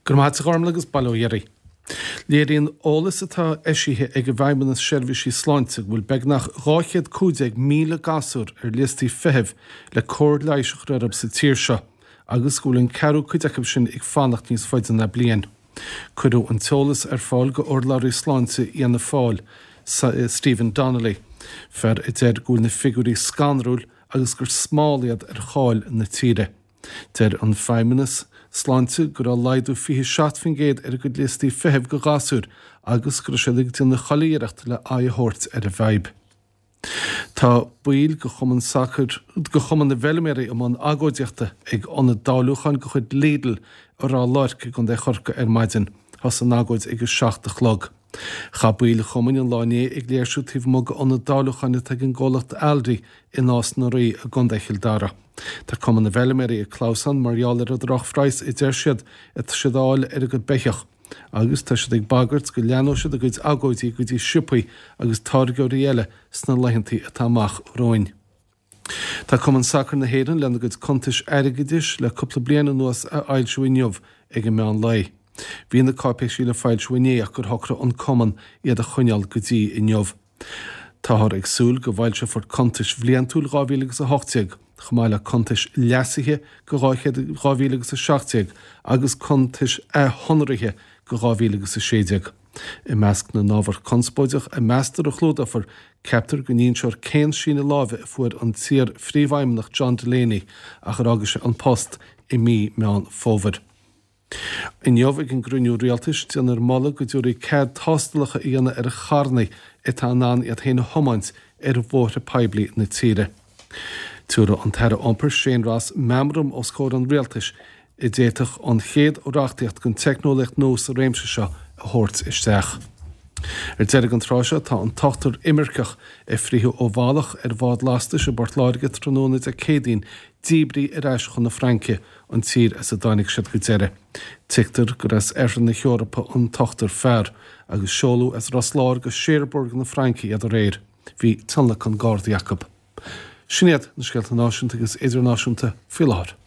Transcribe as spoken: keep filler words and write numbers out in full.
Go maith Gormla agus bail ó Dhia oraibh. Léiríonn eolas atá eisithe ag an bhFeidhmeannas Seirbhísí Sláinte go bhfuil beagnach dhá chéad cúig déag míle gasúr ar liostaí feithimh le cóir leighis a chur orthu sa tír seo agus go bhfuil an ceathrú cuid acu sin ag fanacht níos faide ná bliain. Cuireadh an t-eolas ar fáil go urlabhraí sláinte Fhianna Fáil, Stephen Donnelly, fear a deir go bhfuil na figiúirí scanrúil agus gur smál iad ar cháil na tíre. Deir an Feidhmeannas Sláinte go raibh laghdú fiche seacht faoin gcéad ar a gcuid liostaí feithimh go ghasúir agus go raibh siad ag déanamh chuile iarracht le aghaidh a thabhairt ar an bhfadhb. Tá baill de chumann sacair de chumann na bhfeilméaraí i mbun agóidíochta ag ionad dáiliúcháin de chuid Lidl i Ráth Luirc i gContae Chorcaí ar maidin. Thosaigh an agóid ag a seacht a chlog. Chaith baill an chumainn an lá inné ag léirsiú taobh amuigh d'ionad dáiliúcháin atá ag an gcomhlacht Aldi i Nás na Rí i gContae Chill Dara. Tá Cumann na bhFeilméaraí ag clamhsán mar gheall ar an drochphraghas a deir siad atá siad a fháil ar a gcuid beithíoch agus tá siad ag bagairt go leanóidh siad a gcuid agóidí go dtí siopaí agus táirgeoirí eile sna laethanta atá amach romhainn. Tá Cumann Sacair na hÉireann lena gcuid cuntais airgeadais le cúpla bliain anuas a fhoilsiú inniu ag an meán lae. Bhí na cáipéisí le foilsiú inné ach gur shocraigh an Cumann iad a choinneáil go dtí inniu. Táthar ag súil go bhfoilseofar cuntais bhliantúil dhá mhíle agus a hocht déag, chomh maith le cuntais leasaithe go dhá chéad dhá mhíle agus a seacht déag agus cuntais athshonraithe go dhá mhíle agus a sé déag. I measc na n-ábhar conspóideach a meastar a chlúdófar, ceaptar go n-inseofar cén síneadh láimhe a fuair an t-iar-phríomhfheidhmeannach John Delaney ach ar fhága sé an post i mí Meán Fómhair. Inniu ag an gcruinniú rialtais, déanfar moladh go dtabharfaí cead tástálacha a dhéanamh ar charranna atá in ann iad féin a thiomáint ar bhóithre poiblí na tíre. Tabharfaidh an tAire Iompair Shane Ross meamram os comhair an rialtais a d'fhéadfadh an chéad reachtaíocht den teicneolaíocht nua sa réimse seo a thabhairt isteach. Ar deireadh an tráth seo tá an t-ochtar imirceach a frítheadh ó bhealach ar bhád lastais i bPort Láirge tráthnóna Dé Céadaoin díbrithe ar ais chun na Fraince, an tír as a dtáinig siad go deireadh. Tuigtear gur as oirthear na hEorpa an t-ochtar fear, agus seoladh as Ros Láir go Cherbourg na Fraince iad aréir. Bhí tionlacan Gardaí acu. Sin iad na scéalta náisiúnta agus idirnáisiúnta faoi láthair.